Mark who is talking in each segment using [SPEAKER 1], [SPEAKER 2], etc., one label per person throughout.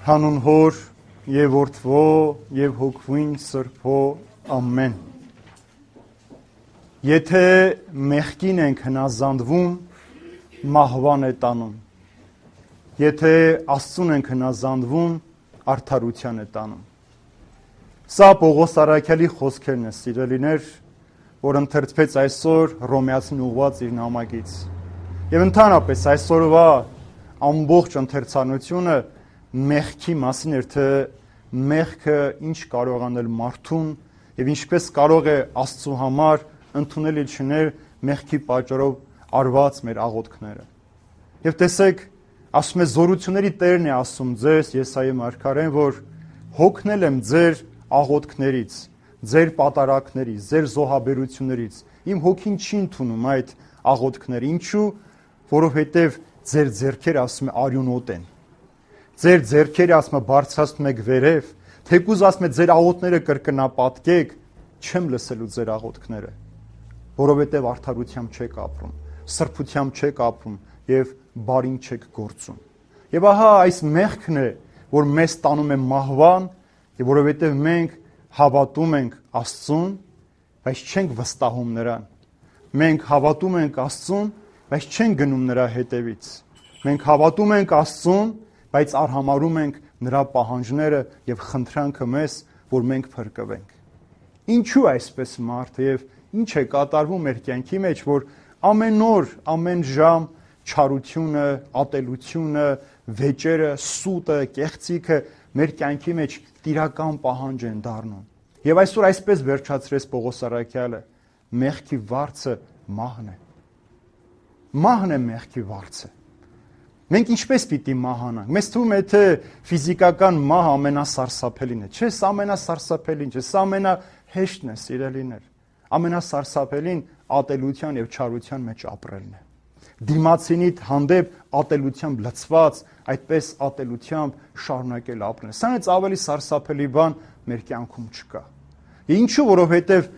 [SPEAKER 1] Հանուն Հոր եւ Որդվո եւ Հոգվին Սրբո ամեն։ Եթե մեղքին ենք հնազանդվում, մահվան է տանում։ Եթե Աստծուն ենք հնազանդվում, արդարության է տանում։ Սա Պողոս առաքյալի խոսքերն են, սիրելիներ, որ ընթերցվեց այսօր Հռոմեացին ուղղված իր նամակից։ Եվ ընդհանրապես այսօրվա ամբողջ ընթերցանությունը մեղքի մասին էր, թե մեղքը ինչ կարող անել մարդուն եւ ինչպես կարող է Աստծու համար ընդունելի չներ մեղքի պատճառով արված մեր աղոթքները։ Եվ տեսեք, ասում է զորությունների Տերն է ասում ձեզ, Եսայի մարգարեն, որ հոգնել եմ ձեր աղոթքներից, ձեր պատարակներից, ձեր զոհաբերություններից։ Իմ հոգին չի ընդունում այդ աղոթքները։ Ինչու? Որովհետև ձեր ձեռքերը, ասում է, արյունոտ են։ Ձեր ձեռքերը, ասում է, բարձրացնում եք վերև, թեկուզ, ասում է, ձեր աղոթքները կրկնապատկեք, չեմ լսելու ձեր աղոթքները, որովհետև արդարությամբ չեք ապրում, սրբությամբ չեք ապրում եւ բարին չեք գործում։ Եվ ահա այս մեղքն է, որ մեզ տանում է մահվան, եւ որովհետև մենք հավատում ենք Աստծուն, բայց չենք վստահում նրան։ Մենք հավատում ենք Աստծուն, բայց չենք գնում նրա հետևից։ Մենք հավատում ենք Աստծուն, բայց արհամարհում ենք նրա պահանջները եւ խնդրանքը մեզ, որ մենք փրկվենք։ Ինչու այսպես մարդը եւ ինչ է կատարվում մեր կյանքի մեջ, որ ամեն օր, ամեն ժամ չարությունը, ատելությունը, վեճերը, սուտը, կեղծիքը մեր կյանքի մեջ տիրական պահանջ են դառնում։ Եվ այսօր այսպես վերջացրեց Պողոս առաքյալը. մեղքի վարձը մահն է։ Մահն է մեղքի վարձը։ Մենք ինչպես պիտի մահանանք։ Մեզ թվում է, թե ֆիզիկական մահը ամենասարսափելին է։ Չէ, սա ամենասարսափելին չէ, սա ամենահեշտն է, սիրելիներ։ Ամենասարսափելին ատելության եւ չարության մեջ ապրելն է։ Դիմացինիդ հանդեպ ատելությամբ լցված, այդպես ատելությամբ շարունակել ապրել։ Սրանից ավելի սարսափելի բան մեր կյանքում չկա։ Ինչու? Որովհետև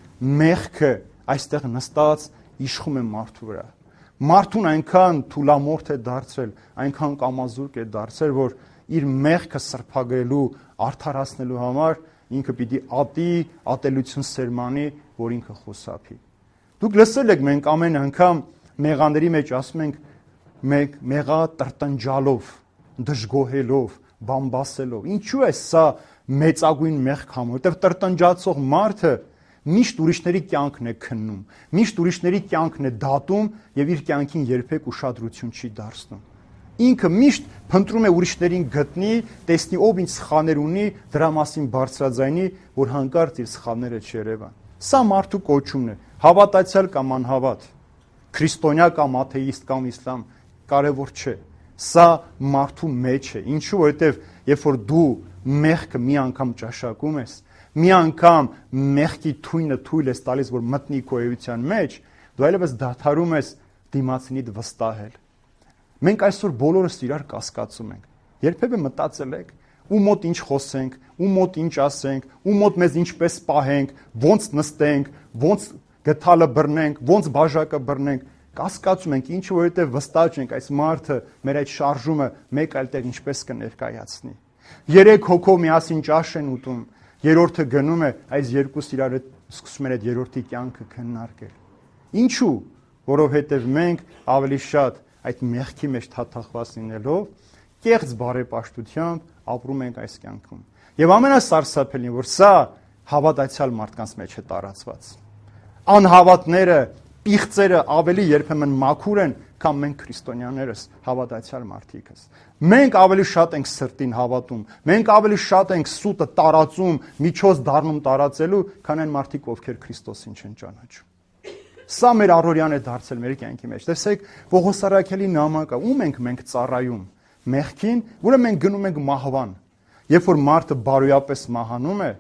[SPEAKER 1] մեղքը այստեղ նստած իշխում է մարդու վրա։ Մարդուն այնքան թուլամորթ է դարձրել, այնքան կամազուրկ է դարձրել, որ իր մեղքը սրբագրելու, արդարացնելու համար ինքը պիտի ատի, ատելություն սերմանի, որ ինքը խուսափի։ Դուք լսել եք, մենք ամեն անգամ մեղաների մեջ ասում ենք մեղա տրտնջալով, դժգոհելով, բամբասելով։ Ինչու է սա մեծագույն մեղք համ, որտեղ տրտնջացող մարդը միշտ ուրիշների կյանքն է քննում, միշտ ուրիշների կյանքն է դատում եւ իր կյանքին երբեք ուշադրություն չի դարձնում։ Ինքը միշտ փնտրում է ուրիշներին գտնի, տեսնի ով ինչ սխալներ ունի, դրա մասին բարձրաձայնի, որ հանկարծ իր սխալները չերևան։ Սա մարդու կոչումն է, հավատացյալ կամ անհավատ, քրիստոնյա կամ աթեիստ կամ իսլամ, կարևոր չէ։ Սա մարդու մեջ է։ Ինչու? Որովհետև երբ որ դու մեղքը մի անգամ ճաշակում ես, մի անգամ մեղքի թույնը թույլ ես տալիս, որ մտնի քո էության մեջ, դու այլևս դադարում ես դիմացինիդ վստահել։ Մենք այսօր բոլորս իրար կասկածում ենք։ Երբևէ մտածել եք, ում մոտ ինչ խոսենք, ում մոտ ինչ ասենք, ում մոտ մեզ ինչպես պահենք, ոնց նստենք, ոնց գթալը բռնենք, ոնց բաժակը բռնենք, կասկածում ենք, ինչու? Որովհետև վստահ չենք այս մարդը մեր այդ շարժումը մեկ այլ տեղ ինչպես կներկայացնի։ 3 հոգով միասին ճաշ են ուտում, երրորդը գնում է, այս երկուսը իրար հետ սկսում են այդ երրորդի կյանքը քննարկել։ Ինչու? Որովհետև մենք ավելի շատ այդ մեղքի մեջ թաթախված լինելով, կեղծ բարեպաշտությամբ ապրում ենք այս կյանքում։ Եվ ամենասարսափելին, որ սա հավատացյալ մարդկանց մեջ է տարածված։ Անհավատները, պիղծերը ավելի երբեմն մաքուր են, քան մենք քրիստոնյաներս, հավատացյալ մարդիկս։ Մենք ավելի շատ ենք սրտին հավատում, մենք ավելի շատ ենք սուտը տարածում, միջոց դառնում տարածելու, քան այն մարդիկ, ովքեր Քրիստոսին չեն ճանաչում։ Սա մեր առօրյան է դարձել մեր կյանքի մեջ։ Տեսեք, Պողոս առաքյալի նամակը, ում ենք մենք ծառայում։ Մեղքին, որը մենք գնում ենք մահվան։ Երբ որ մարդը բարոյապես մահանում է,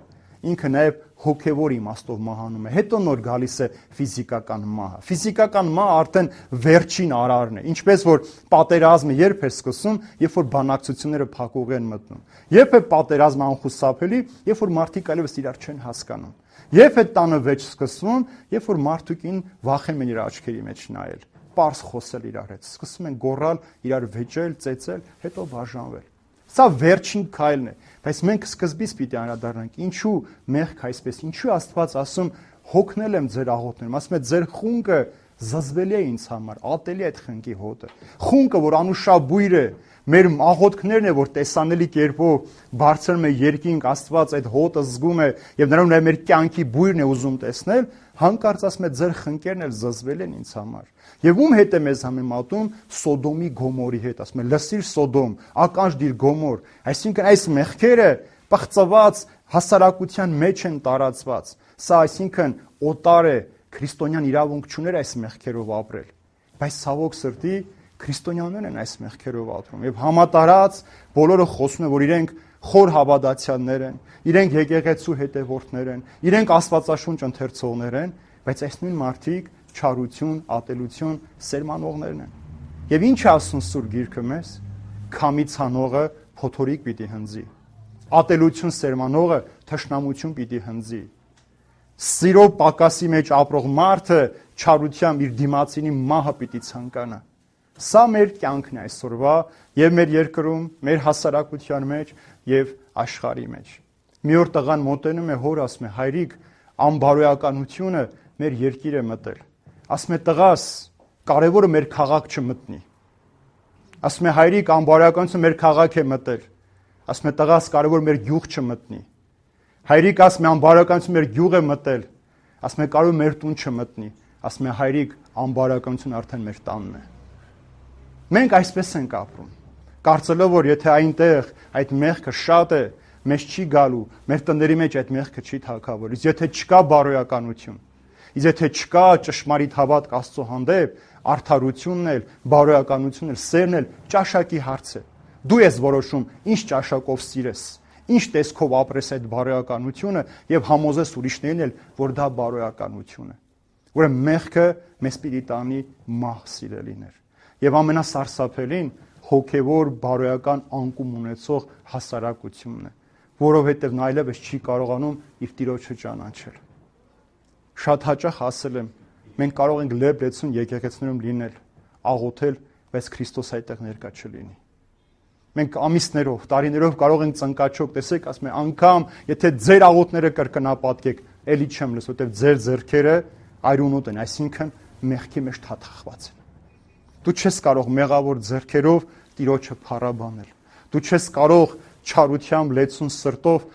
[SPEAKER 1] ինքը նաև հոգևոր իմաստով մահանում է։ Հետո նոր գալիս է ֆիզիկական մահը։ Ֆիզիկական մահը արդեն վերջին արարն է։ Ինչպես որ պատերազմը երբ է սկսում, երբ որ բանակցությունները փակուղի են մտնում։ Երբ է պատերազմը անխուսափելի, երբ որ մարդիկ այլևս իրար չեն հասկանում։ Երբ է տանը վեճ սկսվում, երբ որ մարդուկին վախենում են իր աչքերի մեջ նայել, պարզ խոսել իրար հետ, սկսում են գոռալ, իրար վեճել, ծեծել, հետո բաժանվել։ Սա վերջին քայլն է, բայց մենք սկզբից պիտի անդրադառնանք, ինչու մեղք այսպես, ինչու Աստված ասում հոգնել եմ ձեր աղոթներում, ասում է ձեր խունկը զզվելի է ինձ համար, ատելի է այդ խնկի հոտը։ Խունկը, որ անուշաբույր է, մեր աղոթքներն է, որ տեսանելի կերպով բարձրանում է երկինք, Աստված այդ հոտը զգում է եւ նրանով մեր կյանքի բույրն է ուզում տեսնել, հանկարծ ասում է ձեր խնկերն էլ զզվել են ինձ համար։ Եվ ում հետ է մեզ համեմատում Սոդոմի Գոմորի հետ, ասում է լսիր Սոդոմ, ականջ դիր Գոմոր, այսինքն այս մեղքերը պղծված հասարակության մեջ են տարածված։ Սա այսինքն օտար է, քրիստոնյան իրավունք չուներ այս մեղքերով ապրել, բայց ցավոք սրտի քրիստոնյաներն են այս մեղքերով ապրում եւ համատարած բոլորը խոսում են, որ իրենք խոր հավատացյալներ են, իրենք եկեղեցու հետևորդներ են, իրենք Աստվածաշունչ ընթերցողներ են, բայց այս նույն մարդիկ չարություն, ատելություն սերմանողներն են։ Եվ ինչ է ասում Սուրբ Գիրքը մեզ, քամի ցանողը փոթորիկ պիտի հնձի, ատելություն սերմանողը թշնամություն պիտի հնձի, սիրո պակասի մեջ ապրող մարդը չարությամբ իր դիմացինի մահը պիտի ցանկանա։ Սա մեր կյանքն է այսօրվա եւ մեր երկրում, մեր հասարակության մեջ եւ աշխարհի մեջ։ Մի օր տղան մոտենում է հոր, ասում է հայրիկ, անբարոյականությունը մեր երկիր է մտել։ Ասում է տղաս, կարևորը մեր քաղաք չմտնի։ Ասում է հայրիկ, անբարոյականությունը մեր քաղաք է մտել։ Ասում է տղաս, կարևոր մեր գյուղ չմտնի։ Հայրիկ, ասում է անբարոյականությունը մեր գյուղ է մտել։ Ասում է կարևոր մեր տուն չմտնի։ Ասում է հայրիկ, անբարոյականությունը արդեն մեր տանն է։ Մենք այսպես ենք ապրում, կարծելով, որ եթե այնտեղ այդ մեղքը շատ է, մեզ չի գալու, մեր տների մեջ այդ մեղքը չի թագավորի, իսկ եթե չկա բարոյականություն, իսկ եթե չկա ճշմարիտ հավատք Աստծո հանդեպ, արդարությունն էլ, բարոյականությունն էլ, սերն էլ ճաշակի հարց է։ Դու ես որոշում, ինչ ճաշակով սիրես, ինչ տեսքով ապրես այդ բարոյականությունը եւ համոզես ուրիշներին էլ, որ դա բարոյականություն է։ Ուրեմն մեղքը մեզ պիտի տանի մահ սիրելիներ։ Եվ ամենասարսափելին հոգևոր բարոյական անկում ունեցող հասարակությունն է, որովհետև նա այլևս չի կարողանում իր Տիրոջը ճանաչել։ Շատ հաճախ ասել եմ, մենք կարող ենք լեբլեցուն եկեղեցիներում լինել, աղոթել, բայց Քրիստոս այդտեղ ներկա չլինի։ Մենք ամիսներով, տարիներով կարող ենք ծնկաչոք, տեսեք, ասում եմ, անգամ եթե ձեր աղոթները կրկնապատկեք, էլի չեմ լսում, որովհետև ձեր ձեռքերը այրունոտ են, այսինքն մեղքի մեջ թաթախված են։ Դու չես կարող մեղավոր ձեռքերով Տիրոջը փառաբանել։ Դու չես կարող չարությամբ լեցուն սրտով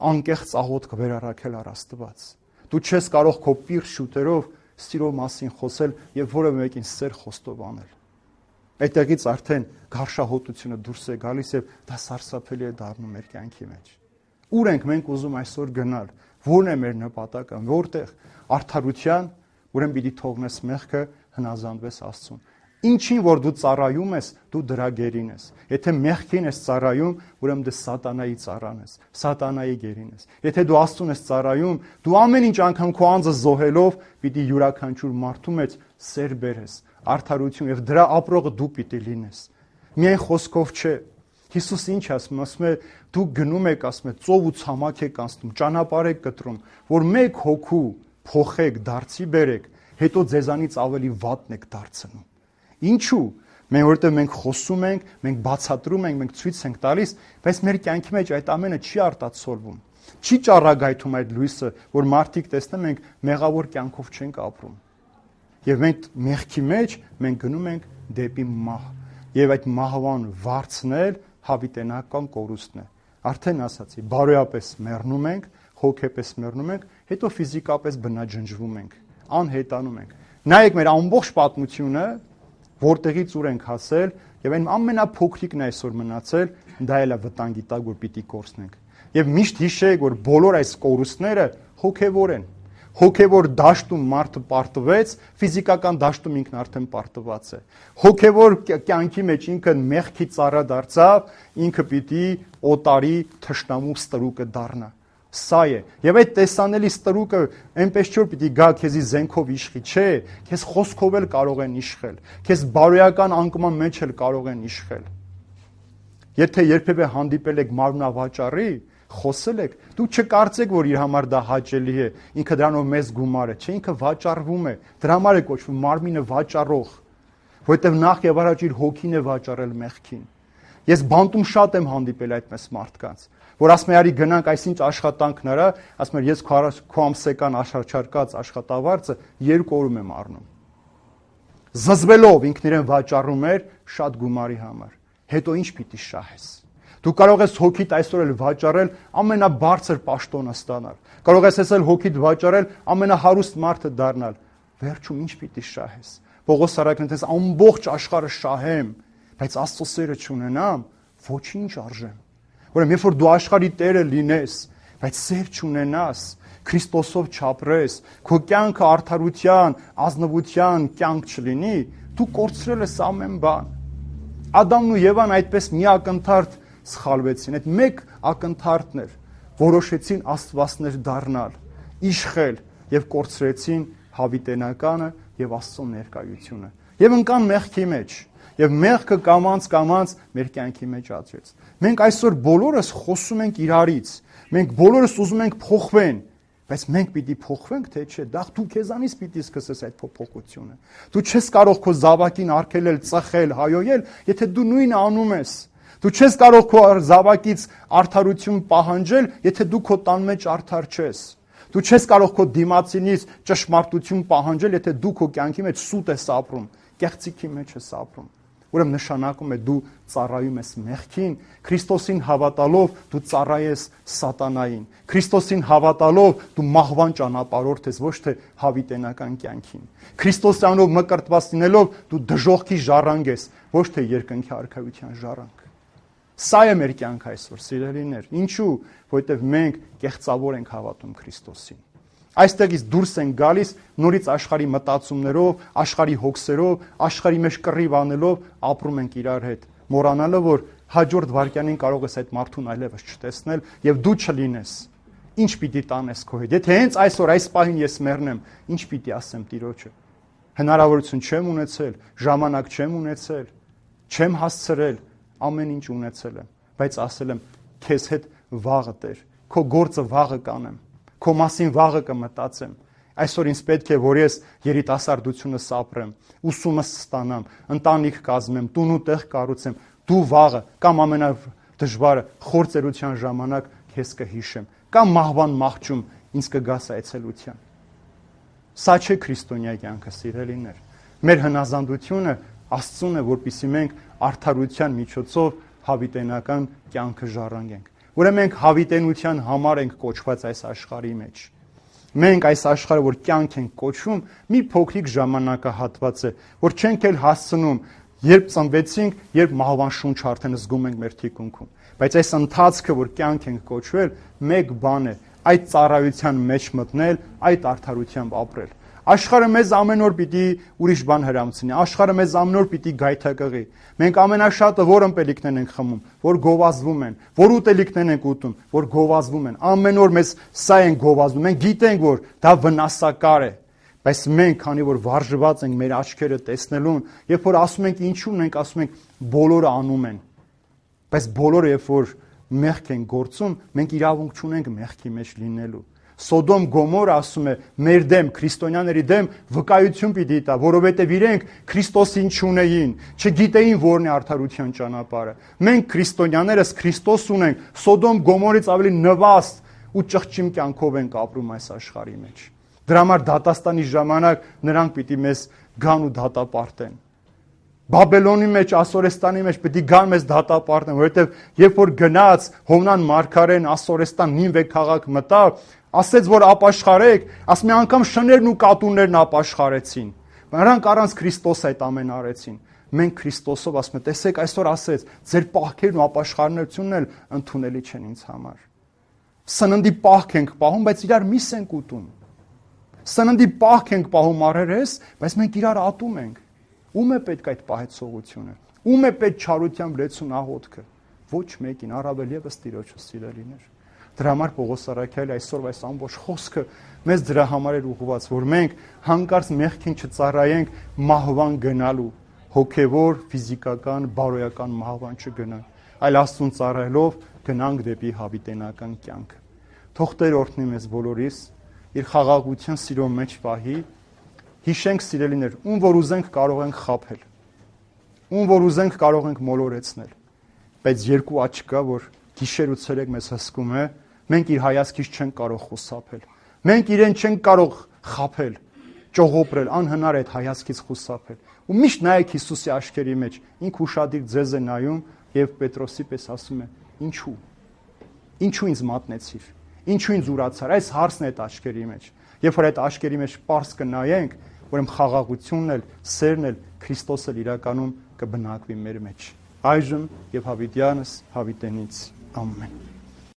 [SPEAKER 1] անկեղծ աղոթք վերառաքել առ Աստված։ Դու չես կարող քո պիղծ շուտերով սիրո մասին խոսել եւ որևէ մեկին սեր խոստով անել։ Այդտեղից արդեն գարշահոտությունը դուրս է գալիս եւ դա սարսափելի է դառնում մեր կյանքի մեջ։ Ուր ենք մենք ուզում այսօր գնալ։ Որն է մեր նպատակը, որտեղ արդարության, ուրեմն պիտի թողնես մեղքը, հնազանդվես Աստծուն։ Ինչին որ դու ծառայում ես, դու դրա գերին ես։ Եթե մեղքին ես ծառայում, ուրեմն դու սատանայի ծառան ես, սատանայի գերին ես։ Եթե դու Աստծուն ես ծառայում, դու ամեն ինչ անգամ քո անձը զոհելով պիտի յուրաքանչյուր մարդու մեջ սեր բերես, արդարություն եւ դրա ապրողը դու պիտի լինես։ Միայն խոսքով չէ։ Հիսուս ինչ ասում, ասում է դու գնում եք, ասում է ծով ու ցամաք եք անցնում, ճանապարհ եք կտրում, որ մեկ հոգու փոխեք, դարձի բերեք, հետո ձեզանից ավելի վատն եք դարձնում։ Ինչու՞։ Որովհետև մենք խոսում ենք, մենք բացատրում ենք, մենք ցույց ենք տալիս, բայց մեր կյանքի մեջ այդ ամենը չի արտացոլվում։ Չի ճառագայթում այդ լույսը, որ մարդիկ տեսնեն մենք մեղավոր կյանքով չենք ապրում։ Եվ մենք մեղքի մեջ մենք գնում ենք դեպի մահ։ Եվ այդ մահվան վարձնել հավիտենական կորուստն է։ Արդեն ասացի, բարոյապես մեռնում ենք, հոգեպես մեռնում ենք, հետո ֆիզիկապես բնաջնջվում ենք, անհետանում ենք։ Նայեք մեր ամբողջ պատմությունը, որտեղից ուր ենք հասել, եւ այն ամենափոքրիկն այսօր մնացել, դա էլ է վտանգի տակ, որ պիտի կորցնենք։ Եվ միշտ հիշեք, որ բոլոր այս կորուստները հոգևոր են։ Հոգևոր դաշտում մարդը պարտվեց, ֆիզիկական դաշտում ինքն արդեն պարտված է։ Հոգևոր կյանքի մեջ ինքը մեղքի ծառա դարձավ, ինքը պիտի օտարի թշնամու ստրուկը դառնա։ Սա է։ Եվ այդ տեսանելի ստրուկը այնպես չէ որ պիտի գա քեզի զենքով իշխի, չէ, քեզ խոսքով էլ կարող են իշխել, քեզ բարոյական անկման մեջ էլ կարող են իշխել։ Եթե երբևէ հանդիպել եք մարմնավաճառի, խոսել եք, դու չկարծեք, որ իր համար դա հաճելի է, ինքը դրանով մեծ գումար է, չէ, ինքը վաճառվում է, դրա համար է կոչվում մարմինը վաճառող, որովհետև նախ եւ առաջ իր հոգին է վաճառել մեղքին։ Ես բանտում շատ եմ հանդիպել այդպես մարդկանց, որ ասում են, արի գնանք այսինչ աշխատանքն արա, ասում են, ես քո ամսական աշխարհչարկած աշխատավարձը 2 օրում եմ առնում։ Զզվելով ինքն իրեն վաճառում էր շատ գումարի համար։ Հետո ինչ պիտի շահես։ Դու կարող ես հոգիդ այսօր էլ վաճառել ամենաբարձր պաշտոնը ստանալ։ Կարող ես այսօր հոգիդ վաճառել ամենահարուստ մարդը դառնալ։ Վերջում ինչ պիտի շահես։ Պողոս առաքին ասես ամբողջ աշխարհը շահեմ, բայց Աստծո սերը չունենամ, ոչինչ արժեմ։ Ուրեմն երբ որ դու աշխարհի տերը լինես, բայց սեր չունենաս, Քրիստոսով չապրես, քո կյանքը արդարության, ազնվության կյանք չլինի, դու կորցրել ես ամեն բան։ Ադամն ու Եվան այդպես մի ակնթարթ սխալվեցին, այդ մեկ ակնթարթն էր, որոշեցին աստվածներ դառնալ, իշխել եւ կորցրեցին հավիտենականը եւ Աստծո ներկայությունը։ Եվ ընկան մեղքի մեջ, եւ մեղքը կամած մեր կյանքի մեջ ածվեց։ Մենք այսօր բոլորս խոսում ենք իրարից, մենք բոլորս ուզում ենք փոխվեն, բայց մենք պիտի փոխվենք, թե չէ, դա դու քեզանից պիտի սկսես այդ փոփոխությունը։ Դու չես կարող քո զավակին արգելել, ծխել, հայոյել, եթե դու նույնը անում ես։ Դու չես կարող քո զավակից արդարություն պահանջել, եթե դու քո տան մեջ արդար չես։ Դու չես կարող քո դիմացինից ճշմարտություն պահանջել, եթե դու քո կյանքի մեջ սուտ ես ապրում, կեղծիքի մեջ ես ապրում։ Ուրեմն նշանակում է դու ծառայում ես մեղքին, Քրիստոսին հավատալով դու ծառայես սատանային, Քրիստոսին հավատալով դու մահվան ճանապարհորդ ես, ոչ թե հավիտենական կյանքին։ Քրիստոսյանով մկրտված լինելով դու դժոխքի ժառանգ ես, ոչ թե երկնքի արքայության ժառանգ։ Սա է մեր կյանքը այսօր, սիրելիներ։ Ինչու՞, որովհետև մենք կեղծավոր ենք հավատում Քրիստոսին։ Այստեղից դուրս են գալիս նորից աշխարհի մտածումներով, աշխարհի հոգսերով, աշխարհի մեջ կռիվ անելով ապրում ենք իրար հետ, մոռանալով որ հաջորդ վարքյանին կարող ես այդ մարդուն այլևս չտեսնել եւ դու չլինես։ Ինչ պիտի տանես քո հետ։ Եթե հենց այսօր այս պահին ես մեռնեմ, ինչ պիտի ասեմ Տիրոջը։ Հնարավորություն չեմ ունեցել, ժամանակ չեմ ունեցել, չեմ հասցրել, ամեն ինչ ունեցել եմ, բայց ասել եմ քեզ հետ վաղը Տեր, քո գործը վաղը կանեմ, քո մասին վաղը կմտածեմ։ Այսօր ինձ պետք է որ ես երիտասարդությունս ապրեմ, ուսումս ստանամ, ընտանիք կազմեմ, տուն ու տեղ կառուցեմ, դու վաղը կամ ամենադժվարը խորձերության ժամանակ քեզ կհիշեմ, կամ մահվան մահճում ինձ կգաս այցելության։ Սա չէ քրիստոնյա կյանքը, սիրելիներ։ Մեր հնազանդությունը Աստծուն է, որպեսզի մենք արդարության միջոցով հավիտենական կյանքը ժառանգենք։ Ուրեմն մենք հավիտենության համար ենք կոչված այս աշխարհի մեջ։ Մենք այս աշխարհը, որ կյանք ենք կոչվում, մի փոքրիկ ժամանակահատված է, որ չենք էլ հասցնում, երբ ծնվեցինք, երբ մահվան շունչ արդեն զգում ենք մեր թիկունքում։ Բայց այս ընթացքը, որ կյանք ենք կոչվել, մեկ բան է, այդ ծառայության մեջ մտնել, այդ արդարությամբ ապրել։ Աշխարհը մեզ ամեն օր պիտի ուրիշ բան հրամցնի, աշխարհը մեզ ամեն օր պիտի գայթակղի։ Մենք ամենաշատը որ ըմպելիքներն ենք խմում, որ գովազդվում են, որ ուտելիքներն ենք ուտում, որ գովազդվում են։ Ամեն օր մեզ սա են գովազդում։ Մենք գիտենք, որ դա վնասակար է, բայց մենք, քանի որ վարժված ենք մեր աչքերը տեսնելուն, երբ որ ասում ենք ինչու՞ն ենք, ասում ենք բոլորը անում են։ Բայց բոլորը երբ որ մեղք են գործում, մենք իրավունք չունենք մեղքի մեջ լինելու։ Սոդոմ Գոմորը ասում է մեր դեմ, քրիստոնյաների դեմ վկայություն պիտի տա, որովհետև իրենք Քրիստոսին չունեին, չգիտեին որն է արդարության ճանապարհը։ Մենք քրիստոնյաներս Քրիստոս ունենք, Սոդոմ Գոմորից ավելի նվաստ ու ճղճիմ կյանքով ենք ապրում այս աշխարհի մեջ։ Դրա համար դատաստանի ժամանակ նրանք պիտի մեզ գան ու դատապարտեն։ Բաբելոնի մեջ, Ասորեստանի մեջ պիտի գան մեզ դատապարտեն, որովհետև երբ որ գնաց Հովնան մարգարեն Ասորեստան Նինվե քաղաք մտավ, ասեց որ ապաշխարեք, ասում է անգամ շներն ու կատուներն ապաշխարեցին։ Նրանք առանց Քրիստոս այդ ամեն արեցին։ Մենք Քրիստոսով ասում ենք, տեսեք այսօր ասեց, ձեր պահքերն ու ապաշխարությունն էլ ընդունելի չեն ինձ համար։ Սննդի պահք ենք պահում, բայց իրար միս ենք ուտում։ Սննդի պահք ենք պահում առերես, բայց մենք իրար ատում ենք։ Ում է պետք այդ պահեցողությունը։ Ում է պետք չարությամբ լեցուն աղոթքը։ Ոչ մեկին, առավել եւս Տիրոջը սիրելիներ։ Դրա համար Պողոս առաքյալի այսօր այս ամբողջ խոսքը մեզ դրա համար էր ուղղված, որ մենք հանկարծ մեղքին չծառայենք մահվան գնալու, հոգևոր, ֆիզիկական, բարոյական մահվան չգնանք, այլ Աստծուն ծառայելով գնանք դեպի հավիտենական կյանքը։ Թող Տեր օրհնի մեզ բոլորիս, իր խաղաղության սիրո մեջ պահի, հիշենք սիրելիներ, ում որ ուզենք կարող ենք խաբել, ում որ ուզենք կարող ենք մոլորեցնել, բայց երկու աչք կա, որ գիշեր ու ցերեկ մեզ հսկում է, մենք իր հայացքից չենք կարող խուսափել։ Մենք իրեն չենք կարող խաբել, ճողոպրել, անհնար է այդ հայացքից խուսափել։ Ու միշտ նայեք Հիսուսի աչքերի մեջ, ինքը ուշադիր ձեզ է նայում եւ Պետրոսի պես ասում է. ինչու։ Ինչու ինձ մատնեցիր։ Ինչու ինձ ուրացար։ Այս հարցն է այդ աչքերի մեջ։ Երբ որ այդ աչքերի մեջ պարզ կնայենք, ուրեմն խաղաղությունն էլ, սերն էլ, Քրիստոսը իրականում կբնակվի մեր մեջ։ Այժմ եւ հավիտյանս հավիտենից ամեն։